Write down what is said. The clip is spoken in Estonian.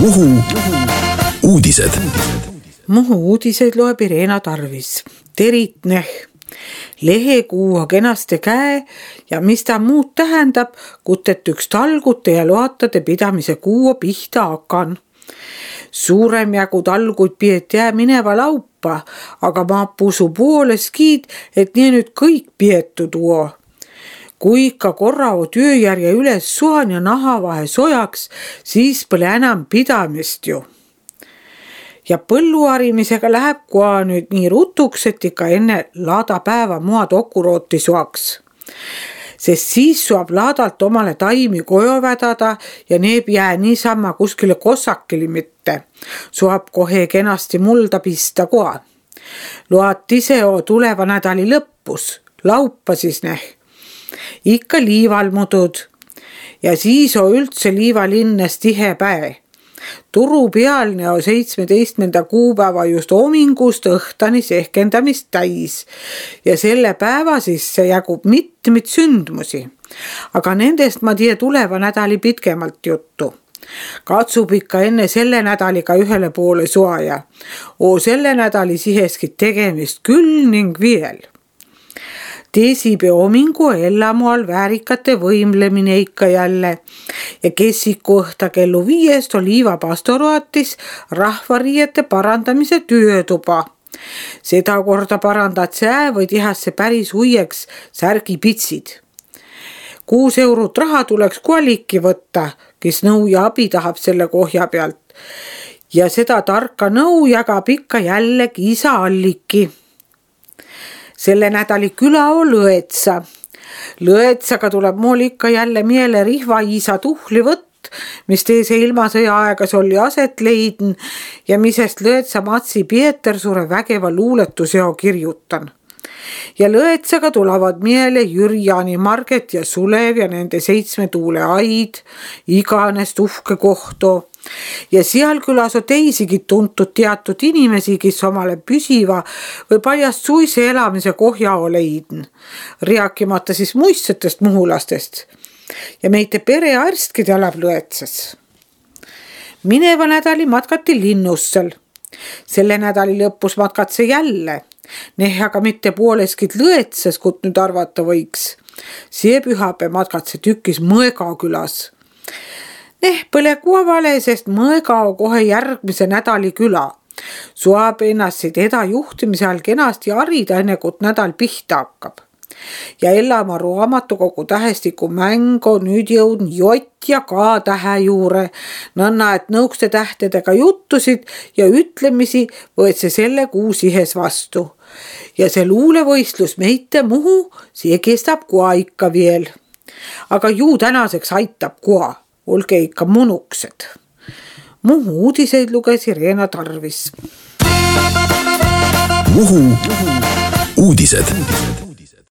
Muhu uudised. Muhu uudiseid loeb Irena Tarvis. Teritneh. Lehekuu on kenasti käe ja mis ta muud tähendab, kutet üks talgute ja loatade pidamise kuuo pihta hakan. Suurem jagu talguid piet jää mineva laupa, aga ma pusu poolestkiid, et nii nüüd kõik pietu tuo. Kui ikka korra o tööjärje üles suhan ja nahavahe sojaks, siis pole enam pidamist ju. Ja põlluharimisega läheb koha nüüd nii rutuks, et ikka enne laadapäeva mua dokurooti soaks. Sest siis saab laadalt omale taimi koju vedada ja need jää niisama kuskile kossakili mitte. Saab kohe kenasti mulda pista koha. Loat ise o tuleva nädali lõppus, laupa siis ikka liivalmudud ja siis on üldse liivalinnes tihe päev. Turu pealne on 17. kuupäeva just hommingust õhtani sehkendamist täis ja selle päeva sisse jagub mitmeid sündmusi. Aga nendest ma tea tuleva nädali pitkemalt juttu. Katsub ikka enne selle nädaliga ühele poole soaja. Selle nädali siheski tegemist küll ning veel. Teesipäeva hommingu ellamual väärikate võimlemine ikka jälle ja kessiku õhta kellu 5 on liivapastoratis rahvariiete parandamise töötuba. Seda korda parandad see või tihasse päris huieks särgipitsid. 6 eurot raha tuleks koalikki võtta, kes nõu ja abi tahab selle kohja pealt. Ja seda tarka nõu jagab ikka jällegi isa Alliki. Selle nädali küla on Lõetsa. Lõetsaga tuleb mul ikka jälle miele Rihva-Iisa tuhlivõtt, mis teise ilmasõja aegas oli aset leidn ja misest Lõetsa Matsi Pietersure vägeva luuletuseo kirjutan. Ja Lõetsaga tulevad miele Jürjani, Marget ja Sulev ja nende 7 tuule aid, iganest uhke kohto. Ja seal külas on teisigi tuntud teatud inimesi, kes omale püsiva või paljast suise elamise kohja leidn. Rääkimata siis muistsetest muhulastest. Ja meite perearstki elab Lõetsas. Mineva nädali matkati Linnussel. Selle nädali lõpus matkatse jälle. Aga mitte pooleskid Lõetsas, kut nüüd arvata võiks. See pühapäev matkatse tükis Mõega külas. Põle kuavale, sest Mõega on kohe järgmise nädali küla. Saab ennast eda juhtimise all kenasti harida enne, kui nädal pihta hakkab. Ja Ellamaa raamatukogu tähestiku mäng on nüüd jõudnud J ja K tähe juure. Nõnna, et nõukste tähtedega juttusid ja ütlemisi võetse selle kuu sihes vastu. Ja see luulevõistlus meite Muhu, see kestab koha ikka veel. Aga ju tänaseks aitab koha. Olge ikka munuksed. Muhu uudiseid luges Irena Tarvis. Muhu uudised.